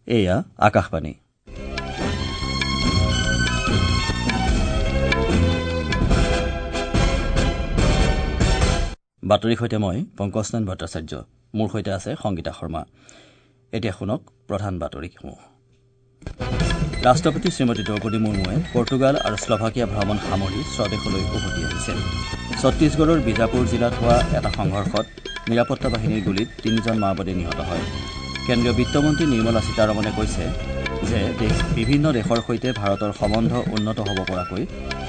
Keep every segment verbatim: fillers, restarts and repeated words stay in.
এয়া আকাশবাণী। বাতৰিৰ সৈতে মই পংকজ নাৰায়ণ ভট্টাচাৰ্য, মোৰ সৈতে আছে সংগীতা শৰ্মা। এতিয়া শুনক প্ৰধান বাতৰিসমূহ। ৰাষ্ট্ৰপতি শ্ৰীমতী দ্ৰৌপদী মুৰ্মুৱে পৰ্তুগাল আৰু শ্লভাকিয়া ভ্ৰমণ সামৰি স্বদেশলৈ উভতি আহিছে। ছত্তীশগড়ৰ বিজাপুৰ জিলাত হোৱা এটা সংঘৰ্ষত নিৰাপত্তা বাহিনীৰ গুলীত তিনিজন মাওবাদী নিহত হয়। কেন্দ্ৰীয় বিত্তমন্ত্ৰী নিৰ্মলা সীতাৰমণে কৈছে যে দেশ বিভিন্ন দেশৰ সৈতে ভাৰতৰ সম্বন্ধ উন্নত হ'ব পৰাকৈ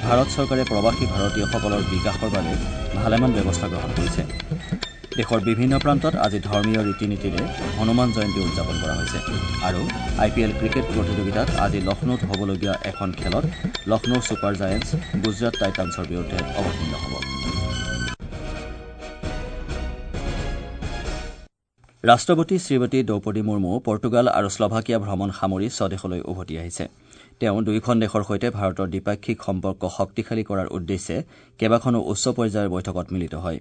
ভাৰত চৰকাৰে প্ৰৱাসী ভাৰতীয়সকলৰ বিকাশৰ বাবে ভালেমান ব্যৱস্থা গ্ৰহণ কৰিছে। দেশৰ বিভিন্ন প্ৰান্তত আজি ধৰ্মীয় ৰীতি নীতিৰে হনুমান জয়ন্তী উদযাপন কৰা হৈছে। আৰু আই পি এল ক্ৰিকেট প্ৰতিযোগিতাত আজি লক্ষ্ণৌত হ'বলগীয়া এখন খেলত লক্ষ্ণৌ ছুপাৰ জায়েণ্টছ গুজৰাট টাইটানছৰ বিৰুদ্ধে অৱতীৰ্ণ হ'ব। ৰাষ্ট্ৰপতি শ্ৰীমতী দ্ৰৌপদী মুৰ্মু পৰ্তুগাল আৰু শ্লভাকিয়া ভ্ৰমণ সামৰি স্বদেশলৈ উভতি আহিছে। তেওঁ দুয়োখন দেশৰ সৈতে ভাৰতৰ দ্বিপাক্ষিক সম্পৰ্ক শক্তিশালী কৰাৰ উদ্দেশ্যে কেইবাখনো উচ্চ পৰ্যায়ৰ বৈঠকত মিলিত হয়।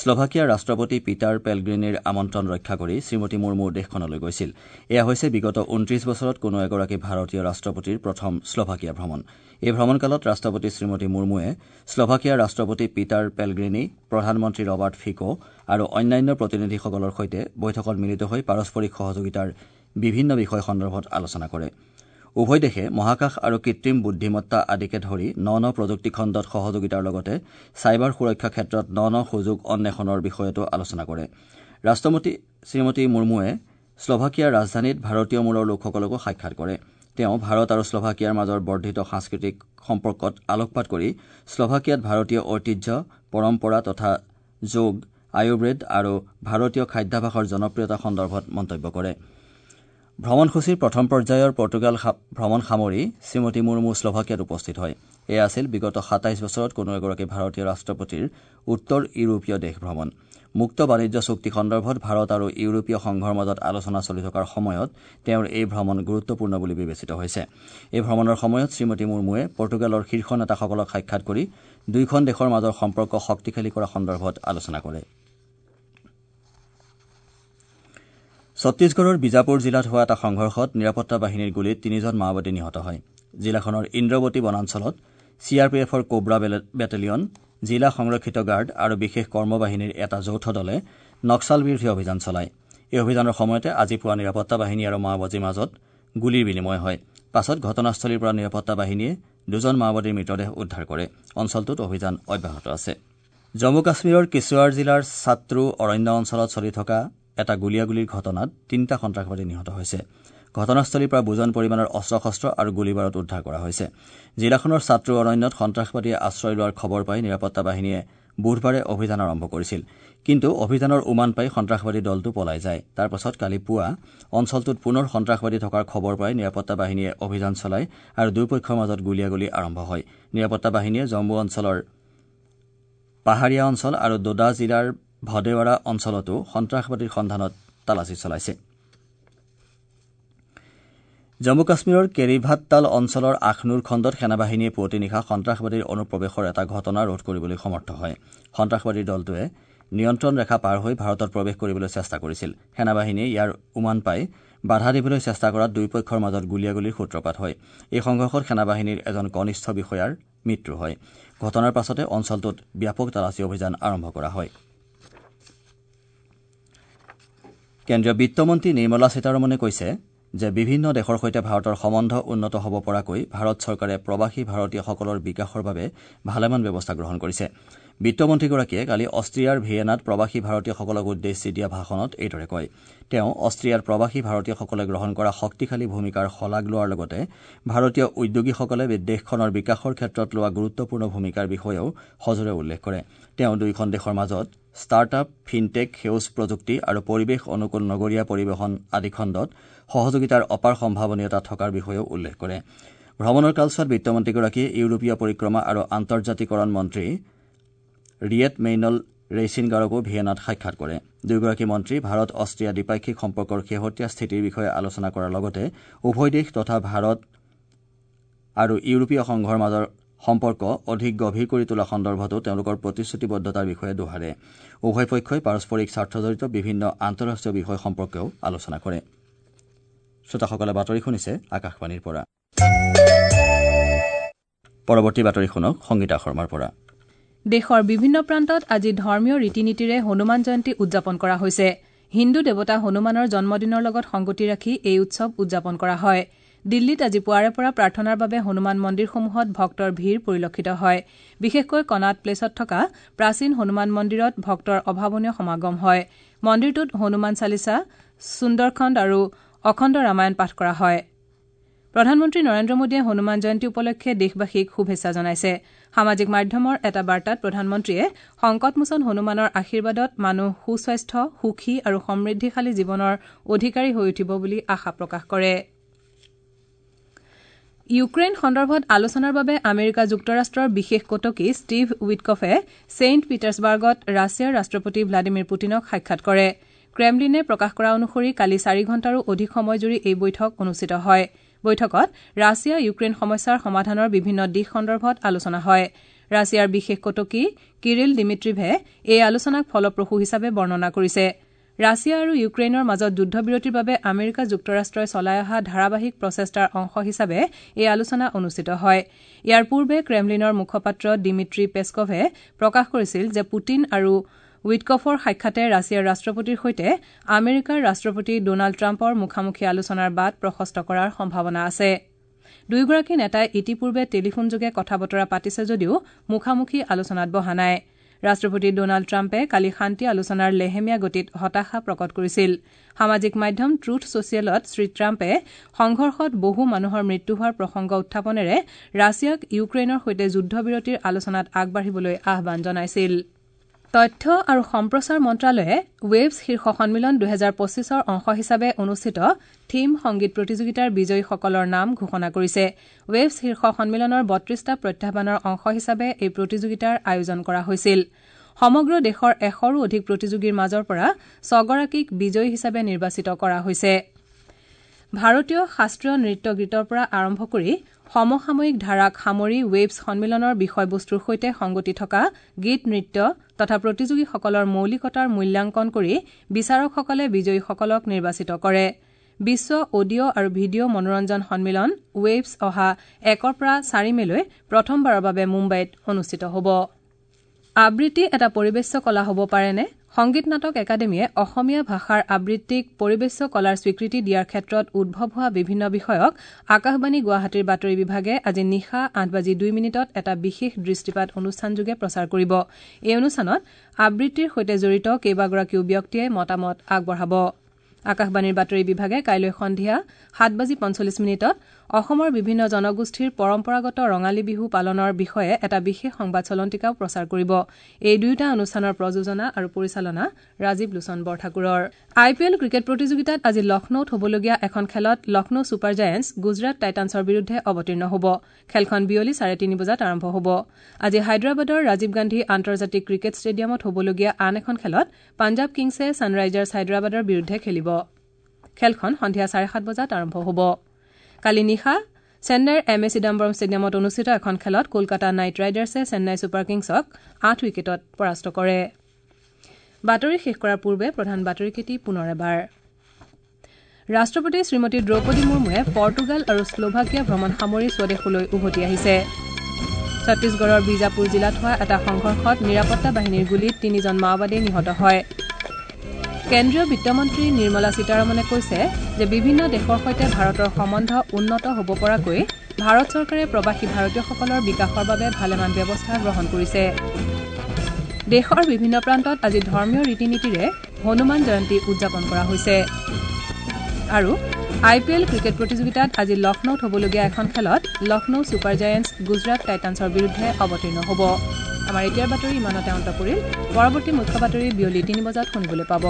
শ্লভাকিয়াৰ ৰাষ্ট্ৰপতি পিটাৰ পেলগ্ৰিনিৰ আমন্ত্ৰণ ৰক্ষা কৰি শ্ৰীমতী মুৰ্মু দেশখনলৈ গৈছিল। এয়া হৈছে বিগত ঊনত্ৰিশ বছৰত কোনো এগৰাকী ভাৰতীয় ৰাষ্ট্ৰপতিৰ প্ৰথম শ্লভাকিয়া ভ্ৰমণ। এই ভ্ৰমণকালত ৰাষ্ট্ৰপতি শ্ৰীমতী মুৰ্মুৱে শ্লভাকিয়াৰ ৰাষ্ট্ৰপতি পিটাৰ পেলগ্ৰিনি, প্ৰধানমন্ত্ৰী ৰবাৰ্ট ফিকো আৰু অন্যান্য প্ৰতিনিধিসকলৰ সৈতে বৈঠকত মিলিত হৈ পাৰস্পৰিক সহযোগিতাৰ বিভিন্ন বিষয় সন্দৰ্ভত আলোচনা কৰে। উভয় দেশে মহাকাশ আৰু কৃত্ৰিম বুদ্ধিমত্তা আদিকে ধৰি ন ন প্ৰযুক্তি খণ্ডত সহযোগিতাৰ লগতে চাইবাৰ সুৰক্ষা ক্ষেত্ৰত ন ন সুযোগ অন্বেষণৰ বিষয়তো আলোচনা কৰে। ৰাষ্ট্ৰপতি শ্ৰীমতী মুৰ্মুৱে শ্লভাকিয়াৰ ৰাজধানীত ভাৰতীয় মূলৰ লোকসকলকো সাক্ষাৎ কৰে। তেওঁ ভাৰত আৰু শ্লভাকিয়াৰ মাজৰ বৰ্ধিত সাংস্কৃতিক সম্পৰ্কত আলোকপাত কৰি শ্লভাকিয়াত ভাৰতীয় ঐতিহ্য, পৰম্পৰা তথা যোগ, আয়ুৰ্বেদ আৰু ভাৰতীয় খাদ্যাভ্যাসৰ জনপ্ৰিয়তা সন্দৰ্ভত মন্তব্য কৰে। ভ্ৰমণসূচীৰ প্ৰথম পৰ্যায়ৰ পৰ্তুগাল ভ্ৰমণ সামৰি শ্ৰীমতী মুৰ্মু শ্লভাকিয়াত উপস্থিত হয়। এয়া আছিল বিগত সাতাইছ বছৰত কোনো এগৰাকী ভাৰতীয় ৰাষ্ট্ৰপতিৰ উত্তৰ ইউৰোপীয় দেশ ভ্ৰমণ। মুক্ত বাণিজ্য চুক্তি সন্দৰ্ভত ভাৰত আৰু ইউৰোপীয় সংঘৰ মাজত আলোচনা চলি থকাৰ সময়ত তেওঁৰ এই ভ্ৰমণ গুৰুত্বপূৰ্ণ বুলি বিবেচিত হৈছে। এই ভ্ৰমণৰ সময়ত শ্ৰীমতী মুৰ্মুৱে পৰ্তুগালৰ শীৰ্ষ নেতাসকলক সাক্ষাৎ কৰি দুয়োখন দেশৰ মাজৰ সম্পৰ্ক শক্তিশালী কৰা সন্দৰ্ভত আলোচনা কৰে। ছত্তীশগড়ৰ বিজাপুৰ জিলাত হোৱা এটা সংঘৰ্ষত নিৰাপত্তা বাহিনীৰ গুলীত তিনিজন মাওবাদী নিহত হয়। জিলাখনৰ ইন্দ্ৰৱতী বনাঞ্চলত চি আৰ পি এফৰ কোব্ৰা বেটেলিয়ন, জিলা সংৰক্ষিত গাৰ্ড আৰু বিশেষ কৰ্মবাহিনীৰ এটা যৌথ দলে নক্সাল বিৰোধী অভিযান চলায়। এই অভিযানৰ সময়তে আজি পুৱা নিৰাপত্তা বাহিনী আৰু মাওবাদীৰ মাজত গুলীৰ বিনিময় হয়। পাছত ঘটনাস্থলীৰ পৰা নিৰাপত্তা বাহিনীয়ে দুজন মাওবাদীৰ মৃতদেহ উদ্ধাৰ কৰে। অঞ্চলটোত অভিযান অব্যাহত আছে। জম্মু কাশ্মীৰৰ কিশ্বোৱাৰ জিলাৰ ছাত্ৰু অৰণ্য অঞ্চলত চলি থকা এটা গুলীয়াগুলীৰ ঘটনাত তিনিটা সন্ত্ৰাসবাদী নিহত হৈছে। ঘটনাস্থলীৰ পৰা বুজন পৰিমাণৰ অস্ত্ৰ শস্ত্ৰ আৰু গুলীবাৰুদ উদ্ধাৰ কৰা হৈছে। জিলাখনৰ ছাত্ৰু অৰণ্যত সন্ত্ৰাসবাদীয়ে আশ্ৰয় লোৱাৰ খবৰ পাই নিৰাপত্তা বাহিনীয়ে বুধবাৰে অভিযান আৰম্ভ কৰিছিল। কিন্তু অভিযানৰ উমান পাই সন্ত্ৰাসবাদী দলটো পলাই যায়। তাৰ পাছত কালি পুৱা অঞ্চলটোত পুনৰ সন্ত্ৰাসবাদী থকাৰ খবৰ পাই নিৰাপত্তা বাহিনীয়ে অভিযান চলায় আৰু দুয়োপক্ষৰ মাজত গুলীয়াগুলী আৰম্ভ হয়। নিৰাপত্তা বাহিনীয়ে জম্মু অঞ্চলৰ পাহাৰীয়া অঞ্চল আৰু দোদা জিলাৰ ভদেৱাৰা অঞ্চলতো সন্ত্ৰাসবাদীৰ সন্ধানত তালাচী চলাইছে। জম্মু কাশ্মীৰৰ কেৰিভাট্টাল অঞ্চলৰ আখনুৰ খণ্ডত সেনাবাহিনীয়ে পুৱতি নিশা সন্ত্ৰাসবাদীৰ অনুপ্ৰৱেশৰ এটা ঘটনা ৰোধ কৰিবলৈ সমৰ্থ হয়। সন্ত্ৰাসবাদীৰ দলটোৱে নিয়ন্ত্ৰণ ৰেখা পাৰ হৈ ভাৰতত প্ৰৱেশ কৰিবলৈ চেষ্টা কৰিছিল। সেনাবাহিনীয়ে ইয়াৰ উমান পাই বাধা দিবলৈ চেষ্টা কৰাত দুয়োপক্ষৰ মাজত গুলীয়াগুলীৰ সূত্ৰপাত হয়। এই সংঘৰ্ষত সেনাবাহিনীৰ এজন কনিষ্ঠ বিষয়াৰ মৃত্যু হয়। ঘটনাৰ পাছতে অঞ্চলটোত ব্যাপক তালাচী অভিযান আৰম্ভ কৰা হয়। কেন্দ্ৰীয় বিত্তমন্ত্ৰী নিৰ্মলা সীতাৰমণে কৈছে যে বিভিন্ন দেশৰ সৈতে ভাৰতৰ সম্বন্ধ উন্নত হ'ব পৰাকৈ ভাৰত চৰকাৰে প্ৰৱাসী ভাৰতীয়সকলৰ বিকাশৰ বাবে ভালেমান ব্যৱস্থা গ্ৰহণ কৰিছে। বিত্তমন্ত্ৰীগৰাকীয়ে কালি অষ্ট্ৰিয়াৰ ভিয়েনাত প্ৰৱাসী ভাৰতীয়সকলক উদ্দেশ্যি দিয়া ভাষণত এইদৰে কয়। তেওঁ অষ্ট্ৰিয়াৰ প্ৰৱাসী ভাৰতীয়সকলে গ্ৰহণ কৰা শক্তিশালী ভূমিকাৰ শলাগ লোৱাৰ লগতে ভাৰতীয় উদ্যোগীসকলে দেশখনৰ বিকাশৰ ক্ষেত্ৰত লোৱা গুৰুত্বপূৰ্ণ ভূমিকাৰ বিষয়েও সজোৰে উল্লেখ কৰে। তেওঁ দুয়োখন দেশৰ মাজত ষ্টাৰ্ট আপ, ফিনটেক, সেউজ প্ৰযুক্তি আৰু পৰিৱেশ অনুকূল নগৰীয়া পৰিবহণ আদি খণ্ডত সহযোগিতাৰ অপাৰ সম্ভাৱনীয়তা থকাৰ বিষয়েও উল্লেখ কৰে। ভ্ৰমণৰ কালছোৱাত বিত্তমন্ত্ৰীগৰাকীয়ে ইউৰোপীয় পৰিক্ৰমা আৰু আন্তৰ্জাতিকৰণ মন্ত্ৰী ৰিয়েট মেইনল ৰেইছিনগাৰকো ভিয়েনাত সাক্ষাৎ কৰে। দুয়োগৰাকী মন্ত্ৰী ভাৰত অষ্ট্ৰিয়া দ্বিপাক্ষিক সম্পৰ্কৰ শেহতীয়া স্থিতিৰ বিষয়ে আলোচনা কৰাৰ লগতে উভয় দেশ তথা ভাৰত আৰু ইউৰোপীয় সংঘৰ মাজৰ সম্পৰ্ক অধিক গভীৰ কৰি তোলা সন্দৰ্ভতো তেওঁলোকৰ প্ৰতিশ্ৰুতিবদ্ধতাৰ বিষয়ে দোহাৰে। উভয় পক্ষই পাৰস্পৰিক স্বাৰ্থজড়িত বিভিন্ন আন্তঃৰাষ্ট্ৰীয় বিষয় সম্পৰ্কেও আলোচনা কৰে। শ্ৰোতাসকলে বাতৰি শুনিছে আকাশবাণীৰ পৰা। পৰৱৰ্তী বাতৰি শুনক সংগীতা শৰ্মাৰ পৰা। দেশৰ বিভিন্ন প্ৰান্তত আজি ধৰ্মীয় ৰীতি নীতিৰে হনুমান জয়ন্তী উদযাপন কৰা হৈছে। হিন্দু দেৱতা হনুমানৰ জন্মদিনৰ লগত সংগতি ৰাখি এই উৎসৱ উদযাপন কৰা হয়। দিল্লীত আজি পুৱাৰে পৰা প্ৰাৰ্থনাৰ বাবে হনুমান মন্দিৰসমূহত ভক্তৰ ভিৰ পৰিলক্ষিত হয়। বিশেষকৈ কনাট প্লেচত থকা প্ৰাচীন হনুমান মন্দিৰত ভক্তৰ অভাৱনীয় সমাগম হয়। মন্দিৰটোত হনুমান চালিচা, সুন্দৰখণ্ড আৰু অখণ্ড ৰামায়ণ পাঠ কৰা হয়। প্ৰধানমন্ত্ৰী নৰেন্দ্ৰ মোদীয়ে হনুমান জয়ন্তী উপলক্ষে দেশবাসীক শুভেচ্ছা জনাইছে। সামাজিক মাধ্যমৰ এটা বাৰ্তাত প্ৰধানমন্ত্ৰীয়ে সংকটমোচন হনুমানৰ আশীৰ্বাদত মানুহ সুস্বাস্থ্য, সুখী আৰু সমৃদ্ধিশালী জীৱনৰ অধিকাৰী হৈ উঠিব বুলি আশা প্ৰকাশ কৰে। ইউক্ৰেইন সন্দৰ্ভত আলোচনাৰ বাবে আমেৰিকা যুক্তৰাষ্ট্ৰৰ বিশেষ কটকী ষ্টিভ উইটকফে ছেইণ্ট পিটাৰ্ছবাৰ্গত ৰাছিয়াৰ ৰাষ্ট্ৰপতি ভ্লাদিমিৰ পুটিনক সাক্ষাৎ কৰে। ক্ৰেমলিনে প্ৰকাশ কৰা অনুসৰি কালি চাৰি ঘণ্টাৰো অধিক সময়জুৰি এই বৈঠক অনুষ্ঠিত হয়। বৈঠকত ৰাছিয়া ইউক্ৰেইন সমস্যাৰ সমাধানৰ বিভিন্ন দিশ সন্দৰ্ভত আলোচনা হয়। ৰাছিয়াৰ বিশেষ কটকী কিৰিল ডিমিট্ৰিভে এই আলোচনাক ফলপ্ৰসূ হিচাপে বৰ্ণনা কৰিছে। ৰাছিয়া আৰু ইউক্ৰেইনৰ মাজত যুদ্ধবিৰতিৰ বাবে আমেৰিকা যুক্তৰাষ্ট্ৰই চলাই অহা ধাৰাবাহিক প্ৰচেষ্টাৰ অংশ হিচাপে এই আলোচনা অনুষ্ঠিত হয়। ইয়াৰ পূৰ্বে ক্ৰেমলিনৰ মুখপাত্ৰ ডিমিট্ৰি পেস্কভে প্ৰকাশ কৰিছিল যে পুটিন আৰু উইটকফৰ সাক্ষাতে ৰাছিয়াৰ ৰাষ্ট্ৰপতিৰ সৈতে আমেৰিকাৰ ৰাষ্ট্ৰপতি ডনাল্ড ট্ৰাম্পৰ মুখামুখি আলোচনাৰ বাট প্ৰশস্ত কৰাৰ সম্ভাৱনা আছে। দুয়োগৰাকী নেতাই ইতিপূৰ্বে টেলিফোনযোগে কথা বতৰা পাতিছে যদিও মুখামুখি আলোচনাত বহা নাই। ৰাষ্ট্ৰপতি ডনাল্ড ট্ৰাম্পে কালি শান্তি আলোচনাৰ লেহেমীয়া গতিত হতাশা প্ৰকট কৰিছিল। সামাজিক মাধ্যম ট্ৰুথ ছচিয়েলত শ্ৰীট্ৰাম্পে সংঘৰ্ষত বহু মানুহৰ মৃত্যু হোৱাৰ প্ৰসংগ উত্থাপনেৰে ৰাছিয়াক ইউক্ৰেইনৰ সৈতে যুদ্ধবিৰতিৰ আলোচনাত আগবাঢ়িবলৈ আহ্বান জনাইছিল। তথ্য আৰু সম্প্ৰচাৰ মন্ত্ৰালয়ে ৱেভছ শীৰ্ষ সন্মিলন দুহেজাৰ পঁচিছৰ অংশ হিচাপে অনুষ্ঠিত থীম সংগীত প্ৰতিযোগিতাৰ বিজয়ীসকলৰ নাম ঘোষণা কৰিছে। ৱেভছ শীৰ্ষ সন্মিলনৰ বত্ৰিশটা প্ৰত্যাহ্বানৰ অংশ হিচাপে এই প্ৰতিযোগিতাৰ আয়োজন কৰা হৈছিল। সমগ্ৰ দেশৰ এশৰো অধিক প্ৰতিযোগীৰ মাজৰ পৰা ছগৰাকীক বিজয়ী হিচাপে নিৰ্বাচিত কৰা হৈছে। ভাৰতীয় শাস্ত্ৰীয় নৃত্য গীতৰ পৰা আৰম্ভ কৰি সমসাময়িক ধাৰাক সামৰি ৱেভছ সন্মিলনৰ বিষয়বস্তুৰ সৈতে সংগতি থকা গীত, নৃত্য তথা প্ৰতিযোগীসকলৰ মৌলিকতাৰ মূল্যাংকন কৰি বিচাৰকসকলে বিজয়ীসকলক নিৰ্বাচিত কৰে। বিশ্ব অডিঅ' আৰু ভিডিঅ' মনোৰঞ্জন সন্মিলন ৱেভছ অহা একৰ পৰা চাৰি মেলৈ প্ৰথমবাৰৰ বাবে মুম্বাইত অনুষ্ঠিত হ'ব। আবৃত্তি এটা পৰিৱেশ্য কলা হ'ব পাৰেনে? সংগীত নাটক একাডেমীয়ে অসমীয়া ভাষাৰ আবৃত্তিক পৰিৱেশ্য কলাৰ স্বীকৃতি দিয়াৰ ক্ষেত্ৰত উদ্ভৱ হোৱা বিভিন্ন বিষয়ক আকাশবাণী গুৱাহাটীৰ বাতৰি বিভাগে আজি নিশা আঠ বাজি দুই মিনিটত এটা বিশেষ দৃষ্টিপাত অনুষ্ঠানযোগে প্ৰচাৰ কৰিব। এই অনুষ্ঠানত আবৃত্তিৰ সৈতে জড়িত কেইবাগৰাকীও ব্যক্তিয়ে মতামত আগবঢ়াব। আকাশবাণীৰ বাতৰি বিভাগে কাইলৈ সন্ধিয়া সাত বাজি পঞ্চল্লিছ মিনিটত অসমৰ বিভিন্ন জনগোষ্ঠীৰ পৰম্পৰাগত ৰঙালী বিহু পালনৰ বিষয়ে এটা বিশেষ সংবাদ চলন্তিকাও প্ৰচাৰ কৰিব। এই দুয়োটা অনুষ্ঠানৰ প্ৰযোজনা আৰু পৰিচালনা ৰাজীৱ লোচন বৰঠাকুৰৰ। আই পি এল ক্ৰিকেট প্ৰতিযোগিতাত আজি লক্ষ্ণৌত হ'বলগীয়া এখন খেলত লক্ষ্ণৌ ছুপাৰ জায়েণ্টছ গুজৰাট টাইটানছৰ বিৰুদ্ধে অৱতীৰ্ণ হ'ব। খেলখন বিয়লি চাৰে তিনি বজাত আৰম্ভ হ'ব। আজি হায়দৰাবাদৰ ৰাজীৱ গান্ধী আন্তৰ্জাতিক ক্ৰিকেট ষ্টেডিয়ামত হ'বলগীয়া আন এখন খেলত পাঞ্জাৱ কিংছে ছানৰাইজাৰ্ছ হায়দৰাবাদৰ বিৰুদ্ধে খেলিব। খেলখন সন্ধিয়া চাৰে সাত বজাত আৰম্ভ হ'ব। কালি নিশা চেন্নাইৰ এম এ চিদাম্বৰম ষ্টেডিয়ামত অনুষ্ঠিত এখন খেলত কলকাতা নাইট ৰাইডাৰ্ছে চেন্নাই ছুপাৰ কিংছক আঠ উইকেটত পৰাস্ত কৰে। বাতৰি শেষ কৰাৰ পূৰ্বে প্ৰধান বাতৰিকেইটি পুনৰ এবাৰ। ৰাষ্ট্ৰপতি শ্ৰীমতী দ্ৰৌপদী মুৰ্মুৱে পৰ্তুগাল আৰু শ্লোভাকিয়া ভ্ৰমণ সামৰি স্বদেশলৈ উভতি আহিছে। ছত্তীশগড়ৰ বিজাপুৰ জিলাত হোৱা এটা সংঘৰ্ষত নিৰাপত্তা বাহিনীৰ গুলীত তিনিজন মাওবাদী নিহত হয়। কেন্দ্ৰীয় বিত্তমন্ত্ৰী নিৰ্মলা সীতাৰমণে কৈছে যে বিভিন্ন দেশৰ সৈতে ভাৰতৰ সম্বন্ধ উন্নত হ'ব পৰাকৈ ভাৰত চৰকাৰে প্ৰৱাসী ভাৰতীয়সকলৰ বিকাশৰ বাবে ভালেমান ব্যৱস্থা গ্ৰহণ কৰিছে। দেশৰ বিভিন্ন প্ৰান্তত আজি ধৰ্মীয় ৰীতি নীতিৰে হনুমান জয়ন্তী উদযাপন কৰা হৈছে। আৰু আই পি এল ক্ৰিকেট প্ৰতিযোগিতাত আজি লক্ষ্ণৌত হ'বলগীয়া এখন খেলত লক্ষ্ণৌ ছুপাৰ জায়েণ্টছ গুজৰাট টাইটানছৰ বিৰুদ্ধে অৱতীৰ্ণ হ'ব। আমাৰ এতিয়াৰ বাতৰি ইমানতে অন্ত পৰিল। পৰৱৰ্তী মুখ্য বাতৰি বিয়লি তিনি বজাত শুনিবলৈ পাব।